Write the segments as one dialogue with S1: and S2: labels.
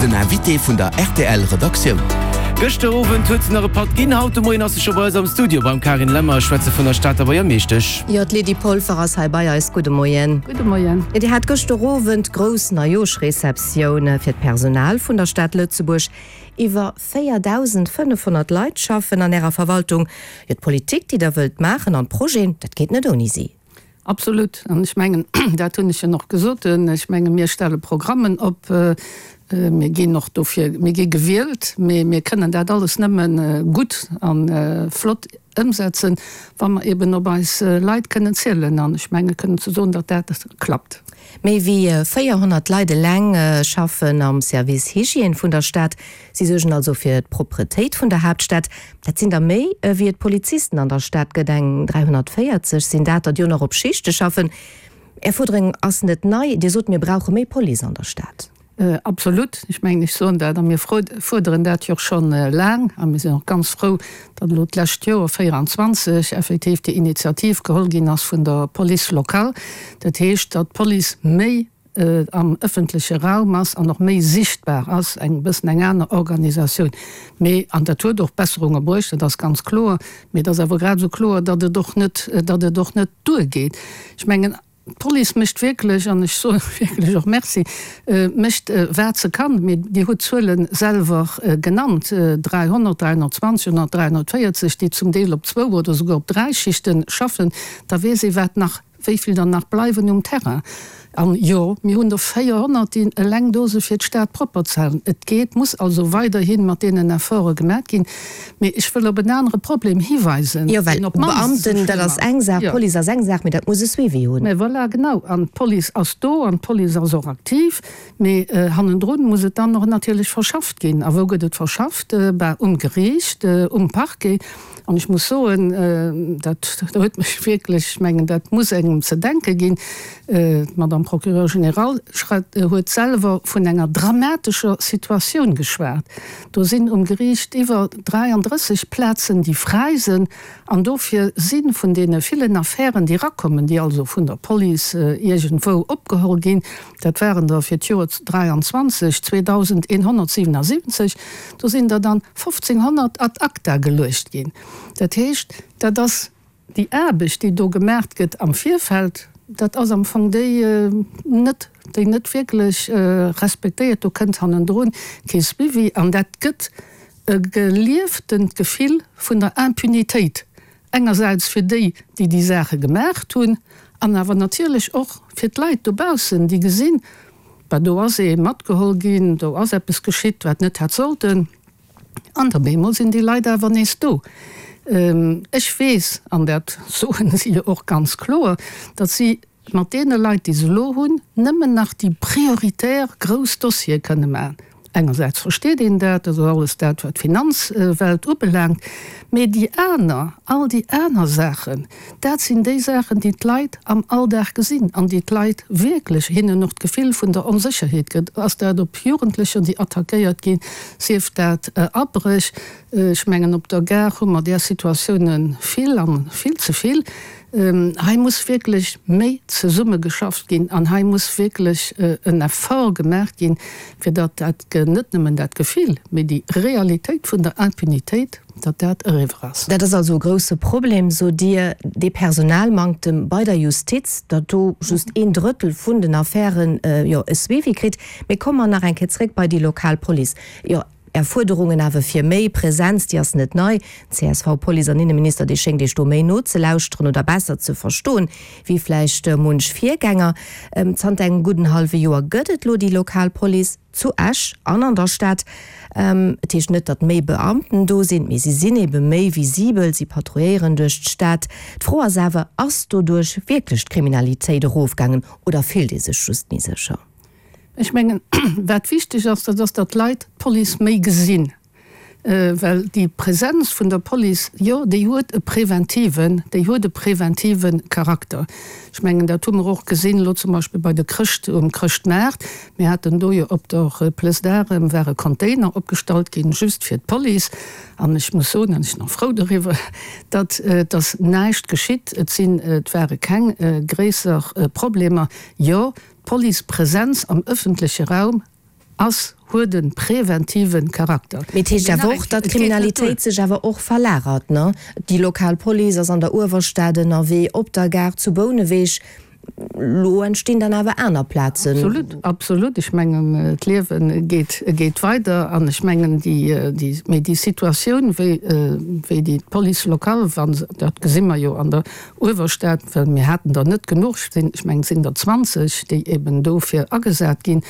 S1: Den Invité vun der rtl Redaktioun.
S2: Gëschter Owend huet se nach e Patt ginn, haut de Moien ass se scho bei eis am Studio beim Carine Lemmer. Ech schwätze vun der Stater Buergermeeschtesch.
S3: Jo, d'Lydie Polfer ass hei bei eis. Gudde Moien.
S4: Gudde Moien.
S3: Jo, Dir hat gëschter Owend grouss Neijooschreceptioun fir d'Personal vun der Stad Lëtzebuerg. Iwwer 4.500 Leit schaffen an Ärer Verwaltung. Jo, d'Politik, déi Der wëllt maachen an d'Projeten, dat geet net ouni si.
S4: Absolut. An ech mengen, dat hunn ech jo och gesot, ech menge mir stelle Programmen op, mir ginn och dofir, mir gi gewielt, mee mir kënnen dat alles nëmme gutt a flott ëmsetzen, wa mer eben op eis Leit kënnen zielen. An ech menge kënnen ze soen, datt dat klappt.
S3: Méi wéi 400 Leit eleng schaffen am Service Hygiène vun der Stad. Si suergen also fir d'Propretéit vun der Haaptstad. Dat sinn der méi, ewéi et Polizisten an der Stad gëtt. Eng 340 sinn dat der, déi och nach op Schichte schaffen. Är Fuerderung ass net nei. Dir sot, mir brauche méi Police an der Stad.
S4: Absolut. Ech mengen, ech soen dat a mir fuerderen dat jo och scho laang. A mir sinn och ganz frou, datt elo d'lescht Joer, 24, effektiv déi Initiativ geholl ginn ass vun der Police locale. Dat heescht, datt d'Police méi am ëffentleche Raum ass an och méi sichtbar ass, eng bëssen eng aner Organisatioun. Mee, an dat huet och Besserunge bruecht, dat ass ganz kloer, mee et ass awer grad esou kloer, datt et och net, datt et och net duergeet. Ech mengen, d'Police mécht wierklech, an ech soe wierklech och Merci, mécht wat se kann, mee Dir hutt d'Zuele selwer genannt, 300, 320 oder 340, déi zum Deel op zwou oder souguer op dräi Schichte schaffen, da weess ee wat nach Wéi vill der nach bleiwen um Terrain? An jo, mir hunn der 400, déi eleng do si fir d'Stad propper ze halen. Et geet, muss also weiderhi mat deenen Efforte gemaat ginn. Mee ech wëll op en anere Problem hiweisen,
S3: Jo, well
S4: deen op d'mannst esou
S3: Beamten, dat
S4: schlëmm
S3: ass eng
S4: ass.
S3: Saach,
S4: Jo.
S3: Police ass eng Saach, mee dat muss e Suivi hunn.
S4: Mä voilà, genau. An d'Police ass do an d'Police ass och aktiv. Mee hannendrun muss et dann och natierlech verschafft ginn. A wou gëtt et verschafft? Bah, um Geriicht, um Parquet. An ech muss soen, dat huet mech wierklech, ech mengen, dat muss engem ze denke ginn, d'Madame Procureure générale huet selwer vun enger dramatescher Situatioun geschwat. Do sinn um Geriicht iwwer 33 Plazen, déi fräi sinn. An dofir si vun deene villen Affären, déi erakommen, déi also vun der Police iergendwou opgeholl ginn, dat waren der fir d'Joer 23 2.177, do sinn der dann 1.500 ad acta geluecht ginn. Dat heescht, dat ass déi Aarbecht, déi do gemaacht gëtt am Virfeld, dat ass am Fong déi net, déi net wierklech respektéiert. Do kënnt hannendrun kee Suivi an dat gëtt e gelieftent Gefill vun der Impunitéit Engersäits fir déi, déi déi Saache gemaacht hunn, an awer natierlech och fir d'Leit dobaussen, déi gesinn, Bah, do ass ee matgeholl ginn, do ass eppes geschitt, wat net hätt sollten. An op eemol sinn déi Leit awer nees do. Ech weess, an dat soen si jo och ganz kloer, datt si mat deene Leit, déi se elo hunn, nëmmen nach déi prioritär grouss Dossiere kënne maachen. Engersäits versteet een dat, dat ass alles dat, wat d'Finanzwelt ubelaangt, mee déi aner, all déi aner Saachen, dat sinn déi Saachen, déi d'Leit am Alldag gesinn an déi d'Leit wierklech, hinnen och d'Gefill vun der Onsécherheet gëtt. Ass dat op Jugendlecher, déi attackéiert ginn, sief dat Abréch, ech mengen op der Gare hu mer där Situatioune vill a vill ze vill. Hei muss wierklech méi zesummegeschafft ginn an hei muss wierklech en Effort gemaach ginn, fir datt dat, net nëmmen dat Gefill, mee déi Realitéit vun der Impunitéit, datt dat eriwwer ass.
S3: Dat ass also e grouse Problem, sot Dir, dee Personalmanktem bei der Justiz, datt do just een Drëttel vun den Affären, jo, e Suivi kritt. Mee komme mer nach eng Kéier zréck bei déi lokal Police. Jo, Är Fuerderungen awer fir méi Präsenz, déi ass net nei. Den CSV-Police an Inneminister, dee schéngt Iech do méi nozelauschteren oder besser ze verstoen, wéi vläicht munch Virgänger. Zanter engem gudden hallwe Joer gëtt et lo déi lokal Police zu Esch an an der Stad. Et heescht net, datt méi Beamten do sinn, mee si sinn ebe méi visibel, si patrouilléieren duerch d'Stad. D'Fro ass awer, Ass doduerch wierklech d'Kriminalitéit erofgaangen oder fillt ee sech just méi sécher?
S4: Ech mengen, wat wichteg ass, dat ass, datt d'Leit d'Police méi gesinn. Well déi Präsenz vun der Police, jo, déi huet e preventiven, déi huet e preventive Charakter. Ech mengen, dat hu mer och gesinn elo zum Beispill bei de Chrëscht, um Chrëschtmaart. Mir haten do jo op der Place d'Armes ware Container opgestallt ginn, just fir d'Police. An ech muss soen, an ech sinn och frou doriwwer, datt et ass näischt geschitt. Et sinn, et ware keng gréisser Problemer. Jo, D'Police-Präsenz am ëffentleche Raum. Ass, huet e präventive Charakter.
S3: Mee et heescht awer och, datt d'Kriminalitéit sech awer och verlagert, ne? Déi lokal Police ass an der Uewerstad ënnerwee, op der Gare zu Bouneweg. Lo entstinn dann awer aner Plazen.
S4: Absolut, absolut. Ech mengen, d'Liewe geet, geet weider. An ech mengen, déi, déi, mee déi Situatioun, wéi, wéi déi d'Police locale, wa se, dat gesi mer jo an der Uewerstad, well mir haten der net genuch, ech mengen, et sinn der 20, déi eben dofir agesat ginn,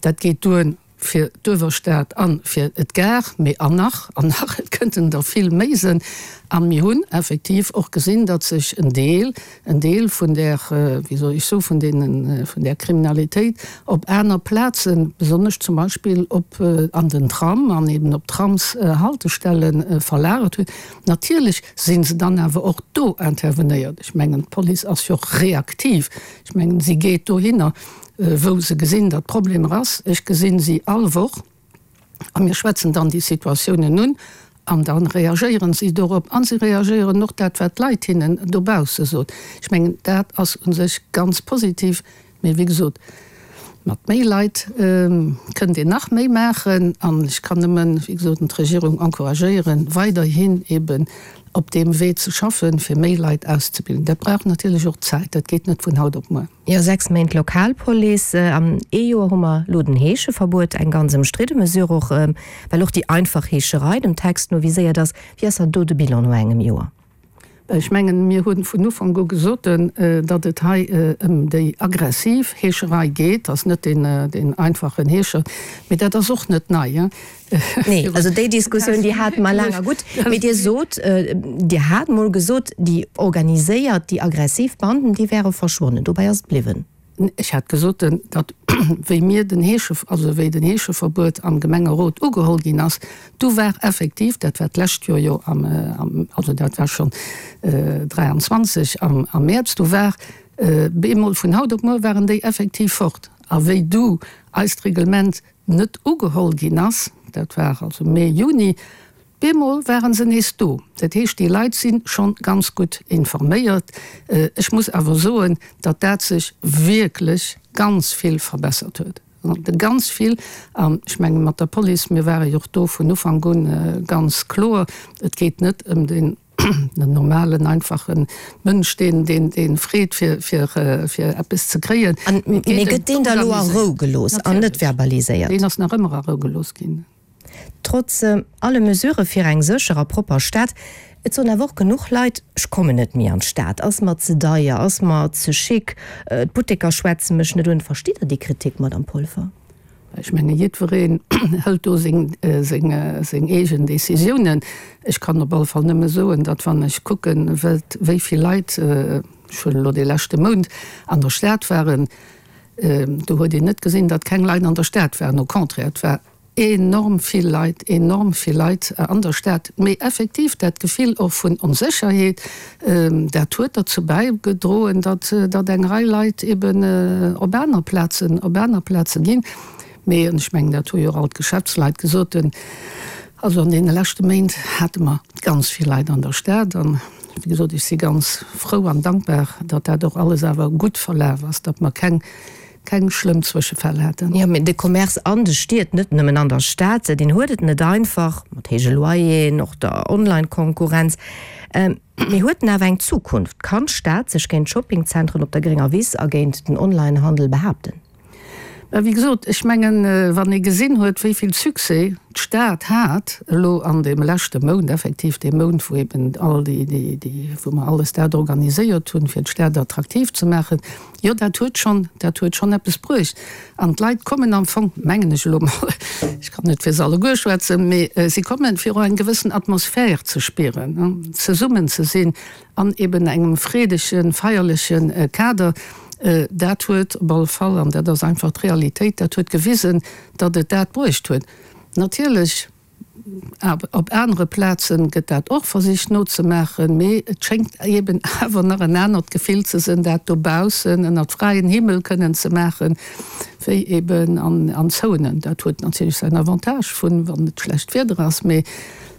S4: Dat geet duer fir d'Uewerstad a fir d'Gare, mee an nach an nach, et kënnten der vill méi sënn. A mir hunn effektiv och gesinn, datt sech en Deel, en Deel vun där, wéi soll ech soen, vun deenen, vun där Kriminalitéit op aner Plazen, besonnesch zum Beispill op, an den Tram an eben op Tramshaltestelle verlagert huet. Natierlech si se dann awer och do intervenéiert. Ech mengen, d'Police ass jo och reaktiv. Ech mengen, si geet dohinner. wou se gesinn, datt Problemer ass. Ech gesinn si all Woch a mir schwätzen dann déi Situatiounen un an da reagéieren si dorop a si reagéieren och dat, wat d'Leit hinnen dobausse sot. Ech mengen, dat ass u sech ganz positiv. Mee wéi gesot, mat méi Leit kënnt een nach méi maachen an ech kann nëmmen, wéi gesot, d'Regierung encouragéieren, weiderhin eeben op deem Wee ze schaffen, fir méi Leit auszebilden. Dat brauch natierlech och Zäit, dat geet net vun haut op muer.
S3: Jo, 6 Méint Lokalpolice. An ee Joer hu mer elo den Heescheverbuet, eng ganz ëmstridde Mesure och, well och déi einfach Heescherei dem Text no viséiert ass. Wéi ass dann do de Bilan no engem Joer?
S4: Ech mengen, mir hu vun Ufank u gesot, datt et hei ëm déi aggressiv Heescherei geet. Dat ass net deen einfachen Heescher. Mee dat ass och net nei.
S3: Nee, also déi Diskussioun, déi hate mer laang. A gutt, mee Dir sot, Dir hat mol gesot, déi organiséiert, déi aggressiv Banden, déi wäre verschwonnen. Dobäi ass et bliwwen.
S4: Ech hat gesot, datt wéi mir den Heesche, also wéi den Heescheverbuet am Gemengerot ugeholl ginn ass, du war effektiv, dat war d'lescht Joer jo am, also dat war schonn 23 am Mäerz, du war bemol vun haut op muer waren déi effektiv fort. A wéi du eist Reglement net ugeholl ginn ass, dat war also Mee, Juni, bemol ware se nees do. Dat heescht, déi Leit si schonn ganz gutt informéiert. Ech muss awer soen, datt dat sech wierklech ganz vill verbessert huet, ganz vill. An ech menge mat der Police, mir ware jo och do vun Ufank un ganz kloer, et geet net ëm den, Den normalen, einfachen Mënsch, deen, deen, deen freet, fir, fir, fir eppes ze kréien.
S3: An, mee gëtt deen da lo a Rou gelooss an net verbaliséiert?
S4: Deen ass nach ëmmer a Rou gelooss ginn.
S3: Trotz alle Mesurë fir eng sécher a propper Stad, et soen awer och genuch Leit, ech kommen net méi an d'Stad, ass mer ze deier, ass mer ze chic, d'Butteker schwätze mech net un. Verstitt Der déi Kritik, Madamm Polfer?
S4: Ech menge jiddwereen hëlt do seng eegen Décisiounen. Ech kann op alle Fall nëmme soen, datt wann ech kucken, wéi vill Leit, ech huelen elo dee leschte Mount, an der Stad waren, do huet een net gesinn, datt keng Leit an der Stad waren. Au contraire, et war enorm vill Leit, enorm vill Leit an der Stad. Mee effektiv dat Gefill och vun Onsécherheet, Dat huet derzou bäigedroen, datt datt eng Rei Leit eben op aner Plazen, op aner Plaze ginn. Mee, an ech mengen, dat hu jo och all d'Geschäftsleit gesot, also an deene leschte Méint hate mer ganz vill Leit an der Stad. An, wéi gesot, ech si ganz frou an dankbar, datt dat och alles awer gutt verlaf ass, datt mer keng keng schlëmm Zwëschefäll haten.
S3: Jo, mee de Commerce an de Stied, net nëmmen an der Stad, deen huet et net einfach, mat héije Loyeren, och der Online-Konkurrenz. Mee huet en awer eng Zukunft? Kann d'Stad sech géint d'Shoppingzentren op der grénger Wiss a géint den Online-Handel behaapten?
S4: Mä wéi gesot, ech mengen, wann ee gesinn huet, wéi vill Succès d'Stad hat elo an deem leschte Mount, effektiv dee Mount, wou eben all déi, déi, wou mer alles dat organiséiert hunn, fir d'Stad attraktiv ze maachen, Jo, dat huet schonn, dat huet schonn eppes bruecht. An d'Leit kommen am Fong, mengen ech elo mol, ech kann net fir se alleguer schwätzen, mee si kommen, fir och eng gewëssen Atmosphär ze spieren, zesummen ze sinn an eben engem freedegen, feierleche Kader. Dat huet op alle Fall, an dat ass einfach d'Realitéit, dat huet gewisen, datt et dat bruecht huet. Natierlech Op anere Plaze gëtt dat och versicht nozemaachen, mee et schéngt eben awer nach en anert Gefill ze sënn, dat dobaussen ënnert fräien Himmel kënnen ze maachen, wéi eben an Zounen. Dat huet natierlech säin Avantage vun, wann et schlecht Wieder ass, mee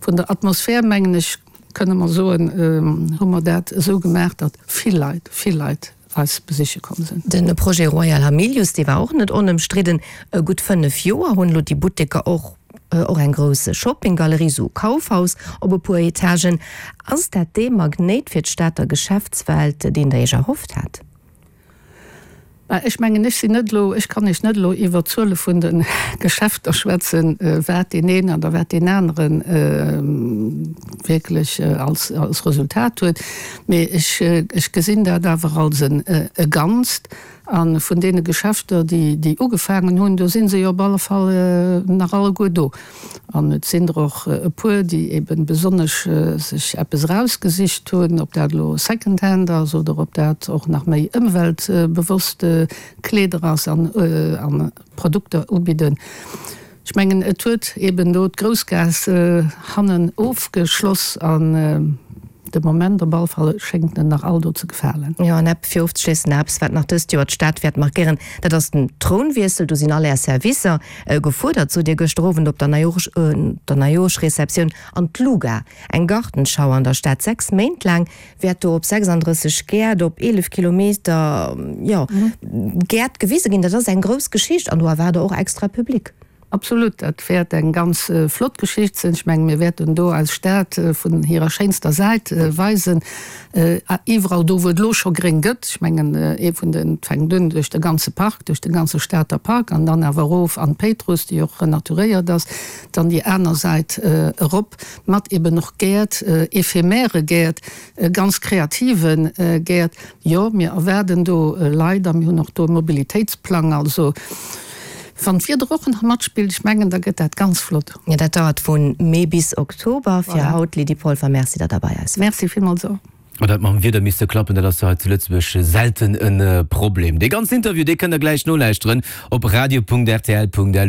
S4: vun der Atmosphär, mengen ech, kënne mer soen, hu mer dat esou gemaach, datt vill Leit, vill Leit. eis besiche komm sinn.
S3: De Projet Royal Hamilius, dee war och net onëmstridden. Gutt 5 Joer hunn elo déi Butteker och och eng grouss Shoppinggalerie, sou Kaufhaus op e puer Etagen. Ass dat dee Magnéit fir d'Stater Geschäftswelt, deen Der Iech erhofft hat?
S4: Mä ech mengen, ech sinn net elo, ech kann Iech net elo iwwert d'Zuele vun de Geschäfter schwätzen, wat deen een oder wat deen anere wierklech als Resultat huet. Mee ech, ech gesinn dat awer als e Ganzt. A vun deene Geschäfter, déi, déi ugefaangen hunn, do si se jo op alle Fall nach alleguer do. An et sinn der och e puer, déi eben besonnesch sech eppes erausgesicht hunn, ob dat elo Secondhand ass oder ob dat och nach méi ëmweltbewosst Kleeder ass an Produkter ubidden. Ech mengen, et huet eben do d'Groussgaass hannen ofgeschloss an de Moment op alle Fall schéngt en nach all do ze gefalen.
S3: Jo, an ep fir ofzeschléissen, eppes wat nach dëst Joer d'Stad wäert markéieren, dat ass den Trounwiessel. Do sinn all Är Servicer gefuerdert, sot Dir gëschter Owend op der Neijoerschreceptioun. An d'Luga, eng Gartenschau an der Stad, 6 Méint laang wäert do op 36 Gäert op 11 Kilometer, jo, Gäert gewise ginn. Dat ass eng grouss Geschicht an do erwaart Der och extra Public.
S4: Absolut, dat wäert eng ganz flott Geschicht sinn. Ech mengen, mir wäerten do eis Stad vun hirer schéinster Säit weisen, iwwerall do, wou et elo scho gréng gëtt. Ech mengen, ee vun den, et fänkt un duerch de ganze Park, duerch de ganze Stater Park an dann awer erof an d'Péitruss, déi och renaturéiert ass, dann déi aner Säit erop mat eben och Gäert, éphémère Gäert, ganz kreative Gäert. Jo, mir erwaarden do Leit a mir hunn och do e Mobilitéitsplang. Also wann d'Wieder och nach matspillt, ech mengen, da gëtt dat ganz flott.
S3: Jo, dat dauert vu Mee bis Oktober. Fir haut, Lydie Polfer, Merci, datt Der bei eis waart.
S4: Merci villmools och.
S2: Ma dat mam Wieder misste klappen, dat ass jo hei zu Lëtzebuerg selten e Problem. Dee ganzen Interview, dee kënnt der gläich nolauschteren op radio.rtl.lu.